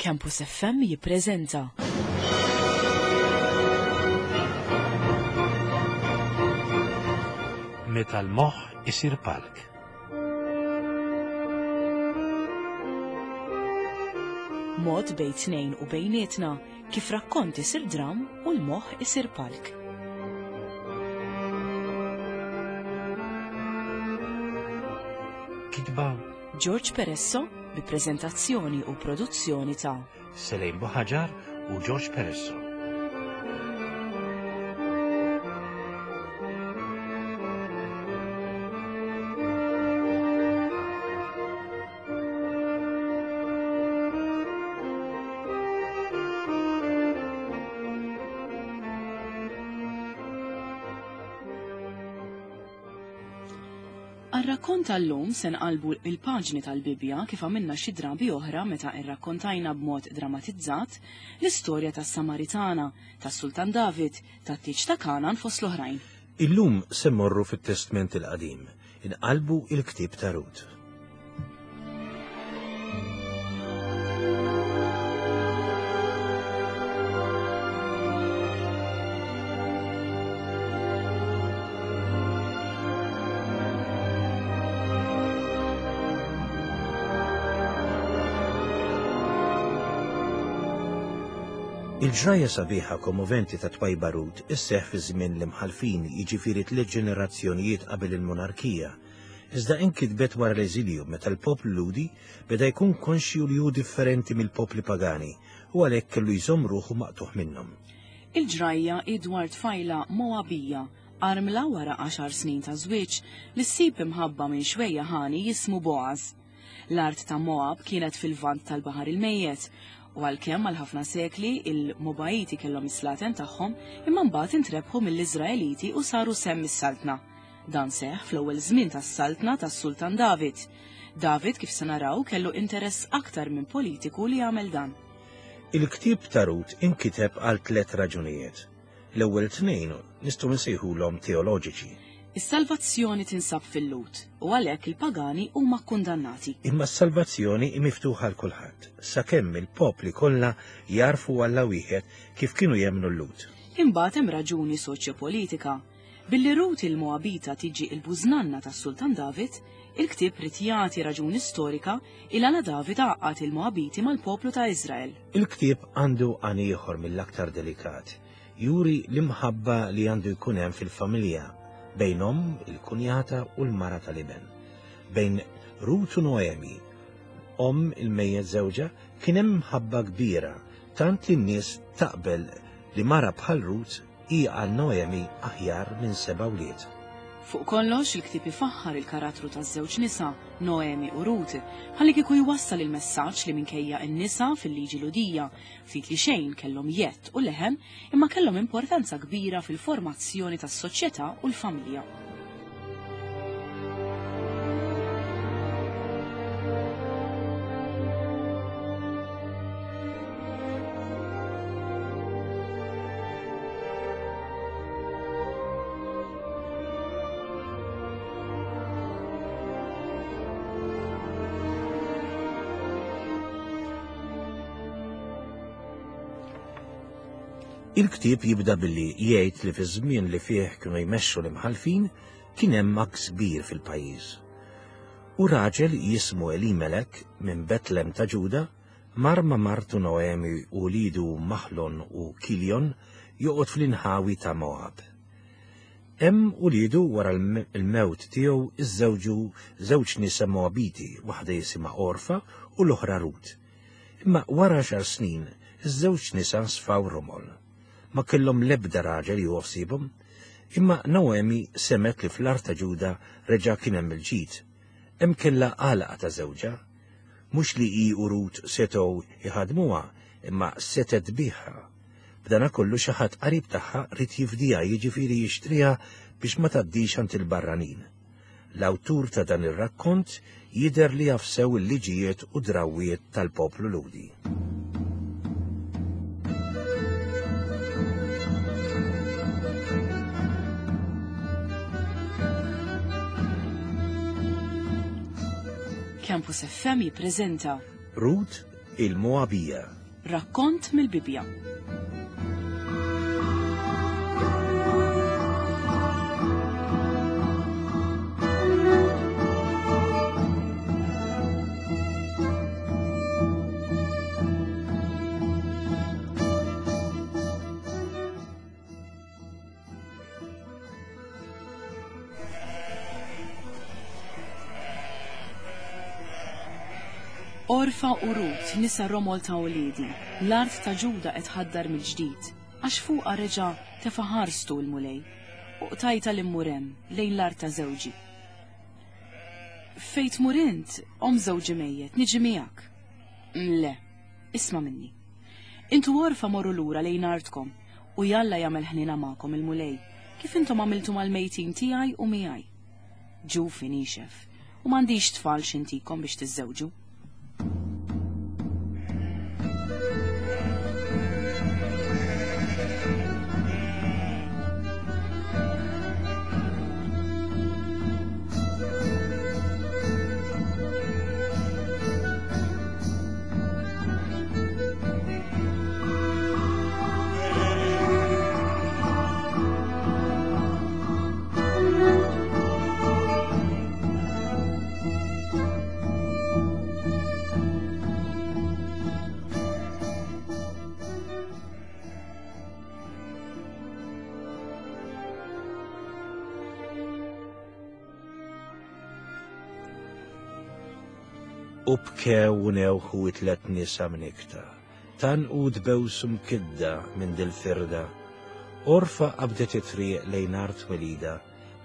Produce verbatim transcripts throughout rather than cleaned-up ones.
Campus F M jippreżenta Meta l-moħħ isir palk. Mod bejn tnejn u bejnietna kif rakkont isir dram u l-moħħ isir palk. Kitba George Peresso bi preżentazzjoni u produzzjoni ta' Selejn Buħaġar u George Peresso. Għar-rakkont tal-lum se nqalbu il-paġni tal-Bibbja kif għamilna xi drabi oħra meta rrakkontajna b'mod dramatizzat l-istorja tas-Samaritana, tas-Sultan David, tat-tieġ ta' Kanan fost l-oħrajn. Illum se mmorru fit-Testment il-Qadim, inqalbu il-ktieb ta' Rut. Il-ġrajja sabiħa kommoventi ta' twajba Rut isseħħ fi żmien l-imħalfin, jiġifieri tliet ġenerazzjonijiet qabel il-monarkija. Iżda inkitbet wara l-eżilju meta l-poplu Lhudi beda jkun konxju li hu differenti mill-popli pagani u għalhekk kellu jżomm ruħu maqtuħ minnhom. Il-ġrajja hi dwar tfajla Moabija, armla wara għaxar snin ta' żwieġ li ssib imħabba minn xwejja ħani jismu Boaz. L-art ta' Moab kienet fil-vant tal-Baħar il-Mejjet, u għalkemm għal ħafna sekli il-Moabiti kellhom is-slaten tagħhom, imma mbagħad intrebħu mill-Iżraeliti u saru semm is-saltna. Dan seħħ fl-ewwel żmien tas-saltna tas-Sultan David. David, kif se naraw, kellu interess aktar minn politiku li jagħmel dan. Il-ktieb ta' Rut inkiteb għal tliet raġunijiet. L-ewwel tnejn nistgħu nsejħulhom teoloġiċi. Is-salvazzjoni tinsab fil-Lhud u għalhekk il-pagani huma kkundannati. Imma s-salvazzjoni hi miftuħa għal kulħadd, sakemm il-popli kollha jarfu Alla wieħed kif kienu jemmnu l-Lhud. Imbagħad hemm raġuni soċjopolitika. Billi Rut il-Moabita tiġi il-bużnanna tas-Sultan David, il-ktieb rid jagħti raġuni storika il għala David għaqqad il-Moabiti mal-poplu ta' Iżrael. Il-ktieb għandu għan ieħor mill-aktar delikat, juri l-imħabba li għandu jkun hemm fil-familja bejn omm, il-kunjata u l-mara tal-iben. Bejn Rut u Noemi, omm il-mejjet żewġha, kien hemm mħabba kbira, tant li n-nies taqbel li mara bħal Rut hi għal Noemi aħjar minn seba' wlied. Fuq kollox, il-ktieb ifaħħar il-karattru taż-żewġ nisa, Noemi u Rut, ħalli kieku jwassal il-messaġġ li minkejja n-nisa fil-liġi Lhudija ftit li xejn kellhom jett u leħen, imma kellhom importanza kbira fil-formazzjoni tas-soċjetà u l-familja. Il-ktieb jibda billi jgħid li fi żmien li fih kienu jmexxu l-imħalfin kien hemm għaks kbir fil-pajjiż. U raġel jismu Elimelek minn Betlem ta' Ġuda mar ma' martu Noemi u lidu Mahlon u Kiljon joqgħod fl-inħawi ta' Moab. Hemm ulidu wara l-mewt tiegħu iżżewġu żewġ nisa Moabiti, waħda jisimha Orfa u l-oħra Rut. Imma wara għaxar snin iż-żewġ nisa sfaw romol. Ma kellhom l-ebda raġel ju ħsiebhom, imma Noemi semet li fl-art ta' Ġuda reġa' kien hemm il-ġid. Hemm kellha għalaqa ta' żewġha, mhux li hi u Rut setgħu jħadmuha, imma setgħet biha. B'dana kollu xi ħadd qarib tagħha rid jifdiha, jiġifieri jixtriha biex ma tgħaddix għand il-barranin. L-awtur ta' dan ir-rakkont jidher li jaf sew il-liġijiet u drawwiet tal-poplu Lhudi. Campus F M jippreżenta Rut, il-Moabija. Rakkont mill-Bibbja. Orfa u Rut, nisa romol ta' uliedi, l-art ta' Ġuda qed tħaddar mill-ġdid, għax fuqha reġa' tefa' ħarstu l-Mulej, u qtajta li mmur hemm lejn l-art ta' żewġi. Fejn tmur int, omm żewġi mejjet, niġi miegħek. Le, isma' minni. Intu Orfa morru lura lejn artkom, u jalla jagħmel ħniena magħkom il-Mulej, kif intom għamiltu mal-mejtin tiegħi u miegħi. Ġufi nixef, u m'għandix tfal x'intikom biex tiżżewġu. U bkew u newħu it-tlet nisa mnikta, tan u dbewsu mkidda minn dil-firda. Orfa qabdet it-triq lejn art welida,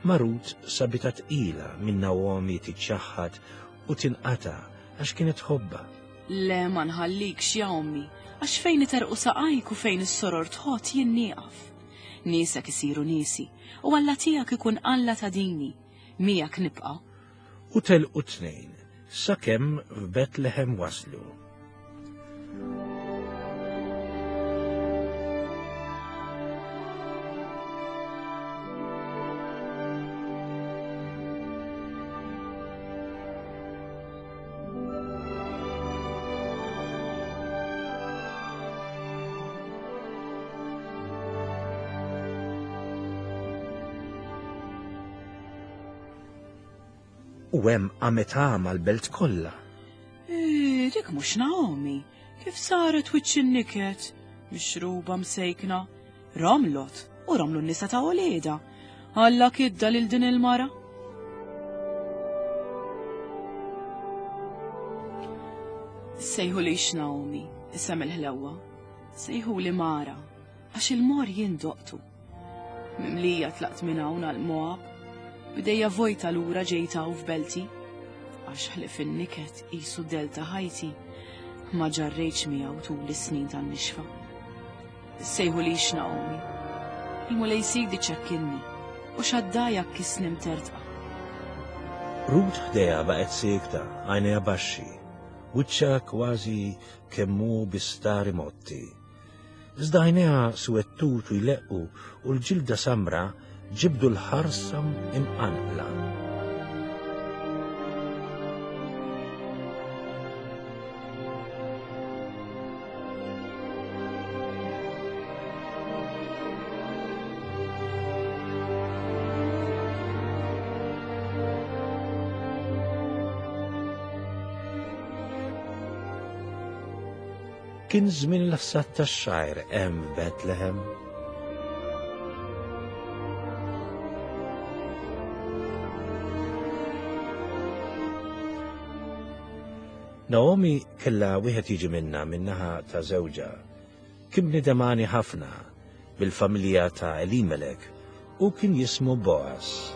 ma Rut sabitha tqila minn Naomi tiċċaħħad u tinqata' għax kienet tħobbha. Le ma nħallikx ja ommi, għax fejn iterqu saqajk u fejn is-soror tħott jien nieqaf. Niesek isiru niesi, u Alla tiegħek ikun Alla ta' dini, miegħek nibqa'. U telqu tnejn, sakemm f'Betlehem waslu. U hemm qamet għama l-belt kollha. Eh, dik mhux Naomi, kif saret wiċċ in-niket, mixruba msejkna, romlot u romlu n-nisa ta' uliedha. Alla kidda lil din il-mara. Sejħulix Naomi, isem il-ħlewwa, sejħuli Mara, għax il-mor jien doqtu. Mimlija tlaqt minn hawn għal Moab, bidejja vojta lura ġejta u f'belti, għax ħlif in-niket qisu delta ħajti, ma ġarrejtx miegħu tul is-snin tan-nixfa. Sejħulix Naomi, il-Mulej sidi ċekkinni u xaddajja kisni mtertqa. Rut ħdejha baqgħet siekta, għajnejha baxxi, wiċċha kważi kemm hu bistari motti. Iżda għajnejha swettut u jleqqu u l-ġilda samra ġibdu l-ħarsa imqanqla. Kien żmien l-ħsad tax-xgħir hemm f'Betlehem. Naomi kellha wieħed jiġi minnha min-naħa ta' żewġha. Kien bniedem għani ħafna bil-familja ta' Elimelek u kien jismu Boaz.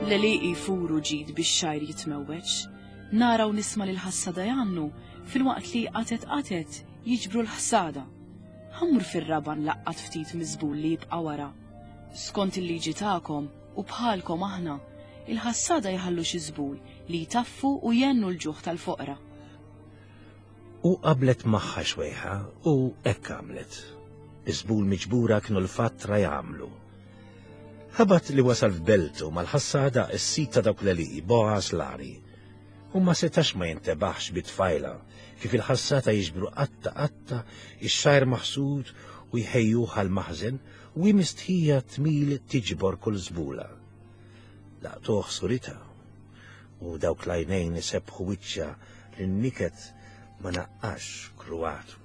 L-għelieqi jfuru ġid biex xajr jitmewweġ, nara u nisma' lil ħassada jgħannu filwaqt li qatet qatet jiġbru l-ħsada. Ħammur fir-raba nlaqqat ftit miżbul li jibqa' wara. Skont il-liġi tagħkom u bħalkom aħna, il-ħassada jħallu xi żbul li jtaffu u jennu l-ġuħ tal-foqra. U qablet magħha xwejħa u hekk għamlet. Iż-żbul miġbura kienu l-fattra jagħmlu. Ħabat li wasal f'beltu mal-ħassada s-sit ta' dawk l-għelieqi Boaz l-għani. U ma setax ma jintebaħx bit-tfajla kif il-ħassata jiġbru qatta qatta ix-xajr maħsud u jħejjuh għall-maħżen u hi mistħija tmil tiġbor kull żbula. Laqtuh suritha u dawk l-għajnejn isebbħu wiċċha li n-niket ma naqqax kruatu.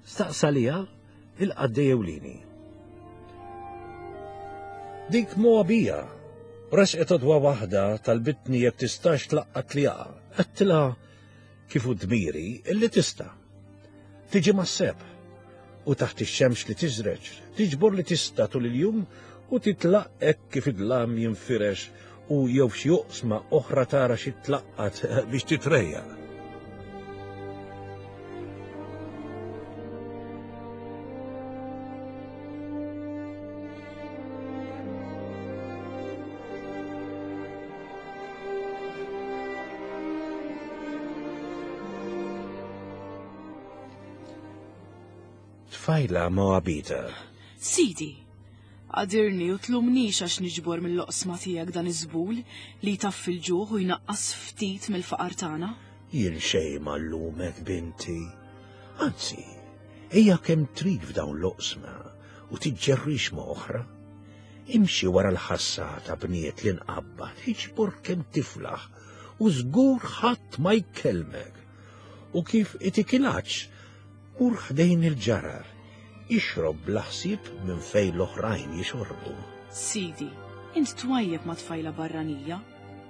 Staqsa liha il-qaddej ewlieni. Dik Moabija, resqet għodwa waħda talbitni jekk tistax tlaqqat li jaqa'. Għedtilha kif hu dmiri illi tista'. Tiġi mas-sebħ u taħt ix-xemx li tiżreġ, tiġbor li tista' tul il-jum u titlaq hekk kif id-dlam jinfirex u jew f'xi oqsma oħra tara xi tlaqqat biex titrejjaq. Tfajla Moabita. Sidi, għadirni u tlumnix għax niġbor mill-oqsma tiegħek dan iż-żbul li jtaffi l-ġuħ u jnaqqas ftit mill-faqar tagħna. Jien xejn ma llumek, binti. Anzi, ejja kemm trid f'dawn l-oqsma u tiġġerrix ma' oħra. Imxi wara l-ħassata bniet li nqabbad, iġbor kemm tiflaħ u żgur ħadd ma jkellmek. U kif itikilax, mur ħdejn il-ġarar, ixrob bla ħsieb minn fejn l-oħrajn jixorbu. Sidi, int twajjeb ma' tfajla barranija,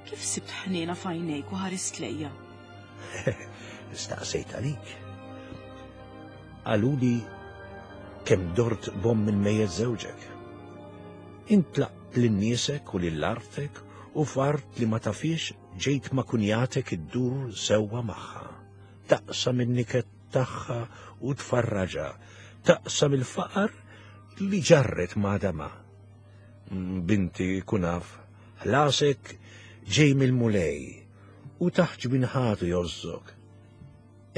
kif sibt ħniena f'għajnejk u ħarist lejja? Staqsejt għalik. Qaluli kemm dort b'omm il-mejjet żewġek. Intlaqt lil niesek u lil artek u f'art li ma tafiex ġejt ma' kunjatek iddur sewwa magħha. Taqsam in-niket tagħha u tfarraġha, taqsam il-faqar li ġarret ma' dama. Binti kunaf, ħlasek ġej mill-Mulej u taħt ġbinħatu jożżok.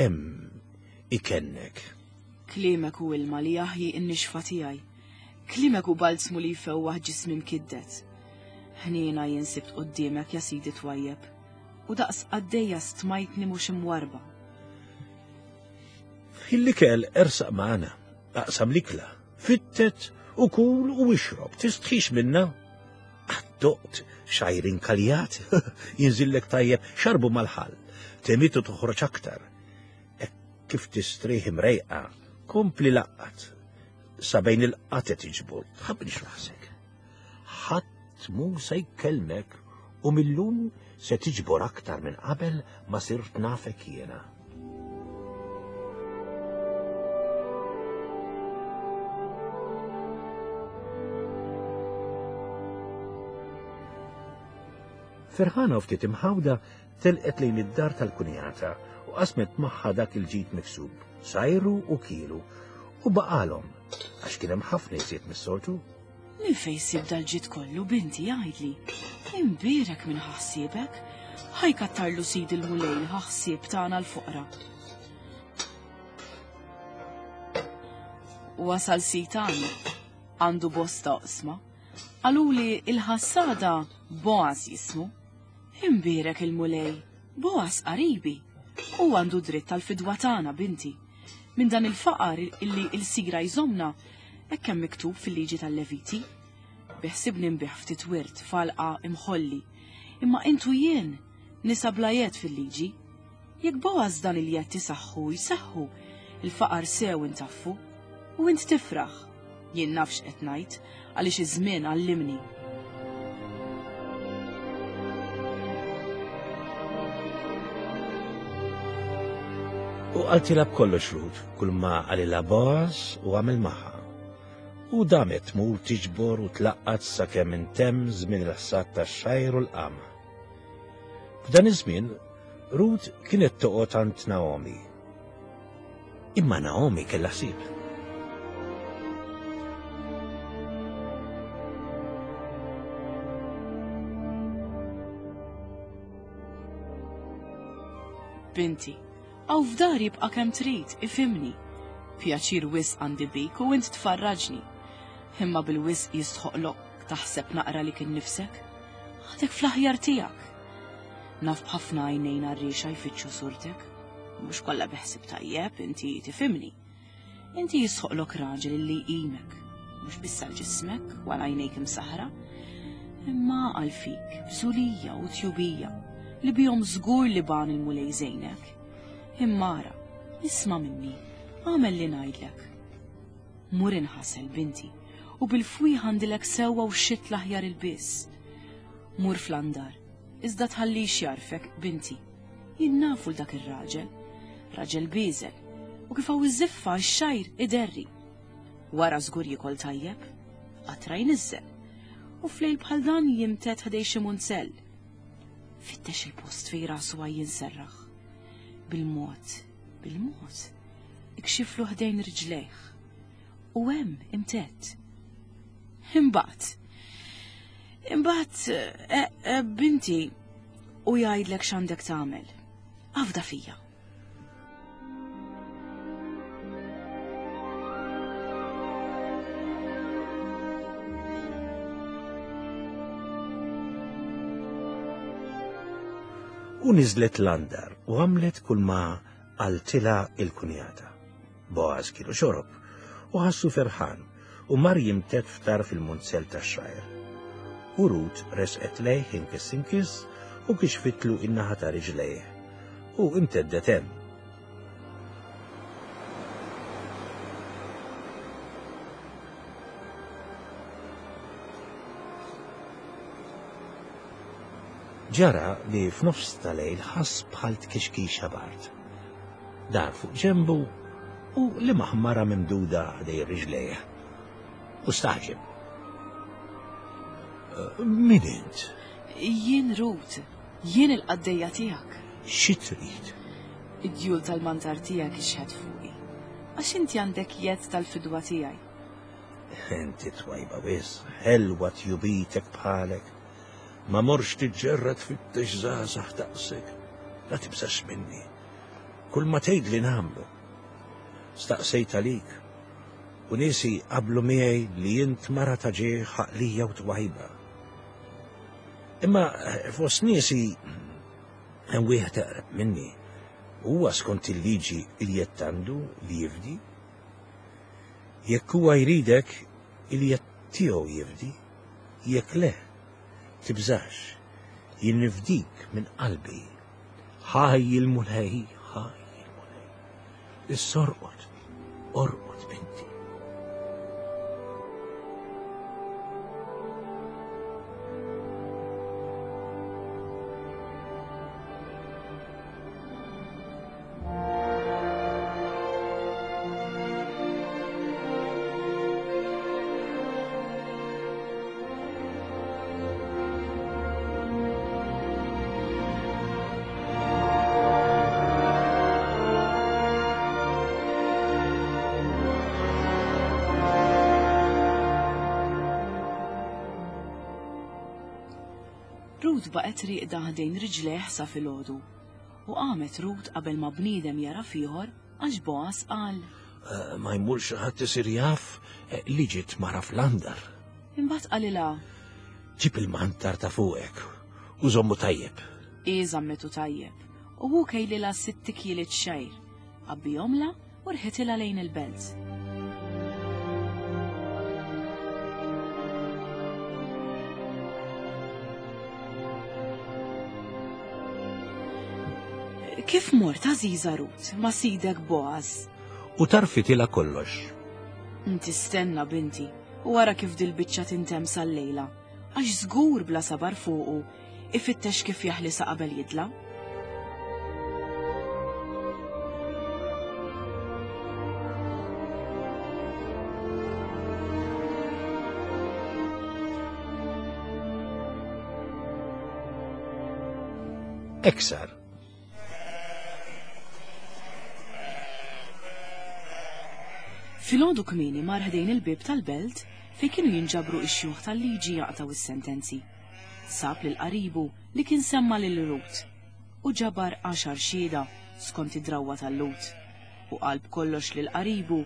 Hemm ikennek. Kliemek hu ilma li jaħji n-nixfa tiegħi. Kliemek hu balzmu li jfewwaħ ġismi mkiddet. Ħniena jien sibt quddiemek ja sidi twajjeb, u daqs qaddejja stmajtni mhux imwarba. Fil-ikel ersaq magħna, aqsam l-ikla, fittet u kul u ixrob, tistħix minna. Għaddoqt xajr inkaljat, jinżillek tajjeb, xarbu mal-ħall, temitu toħroġ aktar. Hekk kif tistrieħ imrejqa, kompli laqqat, sa bejn il-qatet iġbor, tħabbix rasek. Ħadd mhu se jkellmek u millum se tiġbor aktar minn qabel ma sirt nafek jiena. Ferħana u ftit imħawda telqet lejn id-dar tal-kunjata u qasmet magħha dak il-ġid miksub, sajru u kielu, u baqalhom għax kien hemm ħafna iżjed mis-soltu. Min fejn sib dal-ġid kollu, binti, jgħidli. Imbierek minn ħassiebek, ħajkattarlu sid il-Mulej li ħassieb tagħna l-foqra. Wasal sitan għandu bosta oqsma, qaluli il-ħassada Boaz jismu. Imbierek il-Mulej, Boaz qaribi, u għandu dritt tal-fidwa tagħna, binti. Minn dan il-faqar illi il-sigra jżomna, hekk hemm miktub fil-liġi tal-Leviti. Biħsibni nbih ftit wirt falqa imħolli, imma intu jien nisa bla jed fil-liġi. Jekk Boaz dan il-jed tisaħħu jseħħu, il-faqar sew intaffu, u int tifraħ. Jien nafx qed ngħid għaliex iż-żmien għallimni. U qaltilha b'kollox Rut, kull ma qalilha Boaz u għamel magħha. U damet tmur tiġbor u tlaqqat sakemm intemm żmien il-ħsad tax-xajr u l-qamħ. F'dan iż-żmien Rut kienet toqgħod għand Naomi. Imma Naomi kellha ħsieb. Binti, Hawn f'dari ibqa' kemm trid, ifhimni. Pjaċir wisq għandi bik u int tfarraġni. Imma bil-wisq jistħoqlok taħseb naqra lik innifsek. Għadek fl-aħjar tiegħek. Naf b'ħafna għajnejn għarriexa jfittxu surtek. Mhux kollha beħsib tajjeb, inti tifhimni. Inti jistħoqlok raġel li jqimek, mhux biss għal ġismek u għal għajnejk imsaħra, imma għal fik, bżulija u tjubija, li bihom żgur li ban il-Mulej żejnek. Imma ara, isma' minni, agħmel li ngħidlek. Mur inħasel, binti, u bil-fwieħ għandilek sewwa u xitt l-aħjar ilbies. Mur fl-andar, iżda tħallix jarfek, binti. Jien nafu l dak ir-raġel, raġel bieżel, u kif hawn iż-żiffa x-xgħir iderri. Wara żgur jiekol tajjeb, qatra jniżżel, u flejl bħal dan jimted ħdej xi munzell. Fittex il-post fejn rasu għaj jinserraħ. Bil-mod, bil-mod, ikxiflu ħdejn riġlejh. U hemm imtedd. Imbagħad, imbagħad, e, e, binti, u jgħidlek x'għandek tagħmel. Afda fija. U niżlet l-andar u għamlet kull ma qaltilha il-kunjata. Boaz kielu xorob u ħassu ferħan u mar jimtedd f'tarf il-munzell tax-xgħir. U Rut resqet lejh inkiss inkiss u kixfitlu in-naħa ta' riġlejh u imteddet hemm. Ġara li f'nofs tal-lejl ħass bħal tkixkixa bard. Dar fuq ġenbu u li maħmara mimduda ħdej riġlejh. U staħġeb. Min int? Jien Rut, jien il-qaddejja tiegħek. Xi trid? Id-djul tal-mantar tiegħek ixħet fuqi. Għax inti għandek jedd tal-fidwa tiegħi. Inti twajba wisq, ħelwa tjubitek bħalek. Ma morx tiġġerra tfittex żgħażagħ daqsek. La tibżax minni. Kull ma tgħid li nagħmlu. Staqsejt għalik. U niesi qablu miegħi li int mara ta' ġieħ għaqlija u twajba. Imma fost niesi hemm wieħed eqreb minni. Huwa skont il-liġi il-jedd għandu li jifdi. Jekk huwa jridek, il-jedd tiegħu jifdi. Jekk le, tibżax, jien nifdik minn qalbi. Ħaj il-Mulej, ħaj il-Mulej. Issa orqod, orqod binti. Rut baqgħet rieqda ħdejn riġlejh sa filgħodu. U qamet Rut qabel ma bniedem jara fieħor għax Boaz qal: Ma jmurx ħadd isir jaf li ġiet mara fl-andar. Imbagħad qalilha: Ġib il-mantar ta' fuqek u żommu tajjeb. Hi żammetu tajjeb u hu kejlilha sitt tikjieliet xgħir, għabbihomlha u rħitilha lejn il-belt. Kif mort għażiża Rut ma' sidek Boaz? U tarfitilha kollox. Inti stenna binti u wara kif dil-biċċa tintemm sal-lejla, għax żgur bla sabar fuqu ifittex kif jaħlisa qabel jidla. Eksar. Filgħodu kmieni mar ħdejn il-bieb tal-belt fejn kienu jinġabru x-xjuħ tal-liġi jaqtaw is-sentenzi. Sab lil qaribu li kien semma lil Rut u ġabar għaxar xhieda skont id-drawwa tal-Lhud. U qal b'kollox lil qaribu,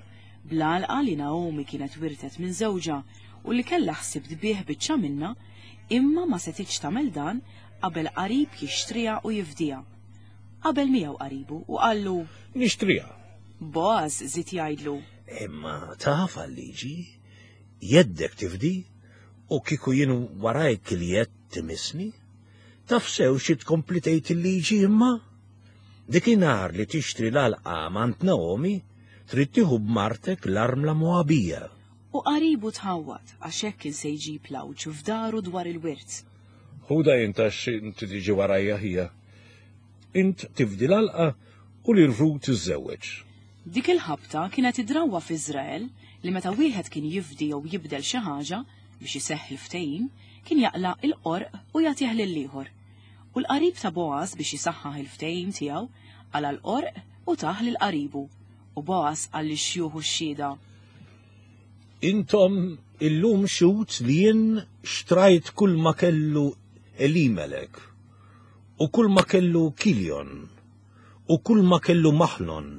bl-għalqa li Naomi kienet wirtet minn żewġha u li kellha ħsieb tbigħ biċċa minnha, imma ma setgħetx tagħmel dan qabel qarib jixtriha u jifdiha. Qabel miegħu qaribu u qallu: Nixtriha. Boaz żied jgħidlu: Imma taf għal-liġi, jeddek tifdi, u kieku jien warajk li jedd timissni, taf sew xi tkompli tgħid il-liġi imma? Dikinhar li tixtri l-għalqa m'għand Naomi, trid tieħu b'martek l-armla Moabija. U qaribu tħawwad għax hekk kien se jġib l-għawġ f'daru dwar il-wirt. Ħuda int għax inti tiġi warajja ħija. Int tifdi l-għalqa u lil Rut tiżżewweġ. Dik il-ħabta kienet id-drawwa f'Iżrael li meta wieħed kien jifdi jew jibdel xi ħaġa biex iseħħ il-ftehim, kien jaqla' il-qorq u jagħtih lill-ieħor. U l-qarib ta' Boaz biex jisaħħaħ il-ftehim tiegħu qala' l-qorq u tah lil qaribu. U Boaz qal lix-xjuħ u x-xhieda: Intom illum xhud li jien xtrajt kull ma kellu Elimelek u kull ma kellu Kiljon u kull ma kellu Maħlon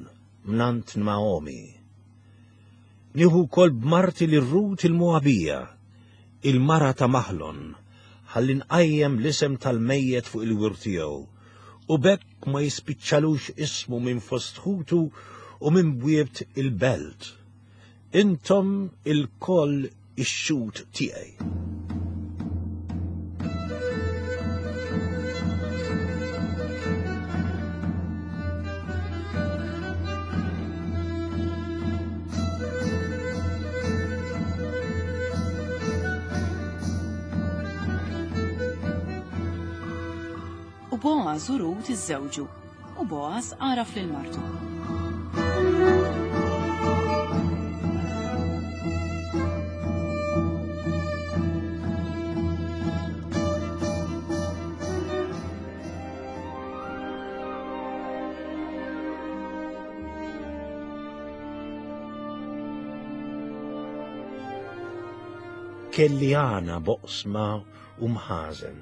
mnant Naomi. Nieħu wkoll b'marti lil Rut il-Moabija, il-mara ta' Maħlon, ħalli nqajjem l-isem tal-mejjet fuq il-wirt tiegħu, u b'hekk ma jispiċċalux ismu minn fost ħutu u minn bwiet il-belt. Intom ilkoll ix-xhud tiegħi. U Boaz u Rut iżżewġu, u Boaz għaraf lil martu. Kelli għana boqsma u mħażen,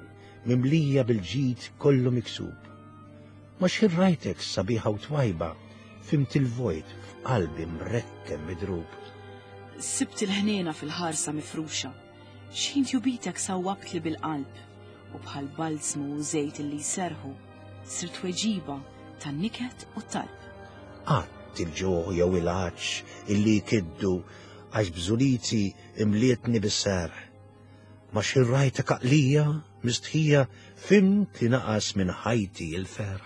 mimlija bil-ġid kollu miksub. Ma xħin rajtek sabiħa u twajba, fimt il-vojt f'qalbi mrekkem midrub. Sibt il-ħniena fil-ħarsa mifruxa, xħin tjubitek sawwabtli bil-qalb, u bħal balzmu u żejt illi jserħu, sirt tweġiba tan-niket u t-talb. Qatt il-ġuħ jew il-għatx illi jkiddu, għax bżuliti imlietni bis-serħ. Ma xħin rajtek għaqlija, mistħija, fimt li naqas minn ħajti il-ferħ.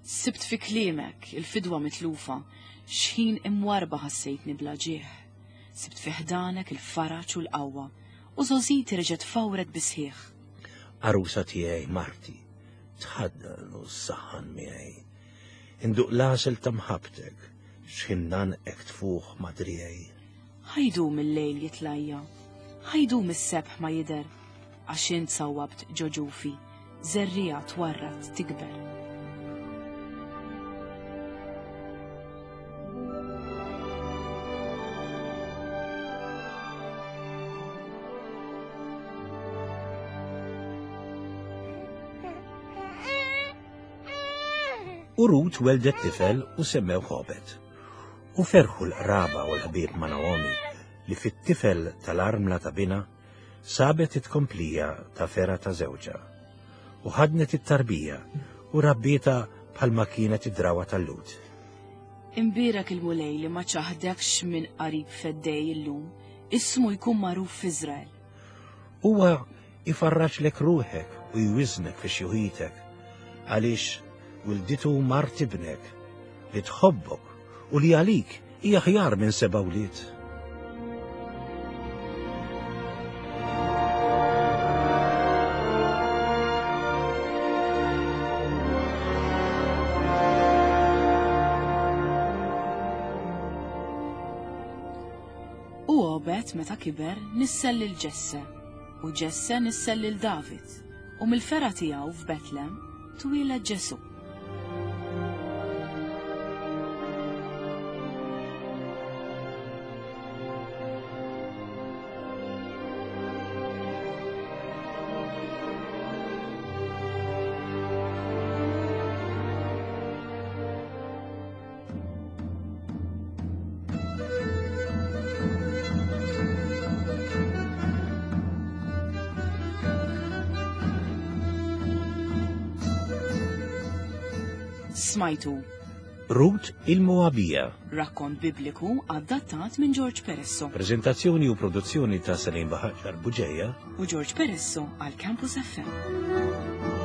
Sibt fi kliemek il-fidwa mitlufa, xħin imwarba ħassejtni bla ġieħ. Sibt fi ħdanek il-faraġ u l-qawwa, u żgħożiti reġgħet fawret bisħieħ. Għarusa tiegħi marti, tħaddan u ssaħħan miegħi. Induq l-għasel ta' mħabbtek, xħin nanqek tfuħ ma' driegħi. Ħa jdum il-lejl jitlajja, ħa jdum is-sebħ ma jidher, għax int sawwabt ġo ġufi, żerriegħa twarrad tikber. U Rut weldet tifel u semmew Obed. U ferħu l-qraba u l-ħbieb ma' Naomi li fit-tifel tal-armla ta' bina sabet it-komplija ta' fera ta' żewġha. U ħadnet it-tarbija u rabbieta bħalma kienet id-drawa tal-Lhud. Imbierek il-Mulej li ma ċaħdekx minn qarib feddej illum, ismu jkun magħruf f'Iżrael. Huwa ifarraġlek ruħek u jwiżnek fi xjuħitek, għaliex wilditu mart ibnek li tħobbok u li għalik hija aħjar minn seba' wlied. U Obed meta kiber nissel lil Ġesse, u Ġesse nissel lil David, u mill-fergħa tiegħu f'Betlem twieled Ġesù. Smajtu Rut il-Moabija. Rakkont Bibliku adattat minn George Peresso. Prezentazzjoni u produzzjoni ta' Salim Baħaġar Buġeja u George Peresso għal Campus F M.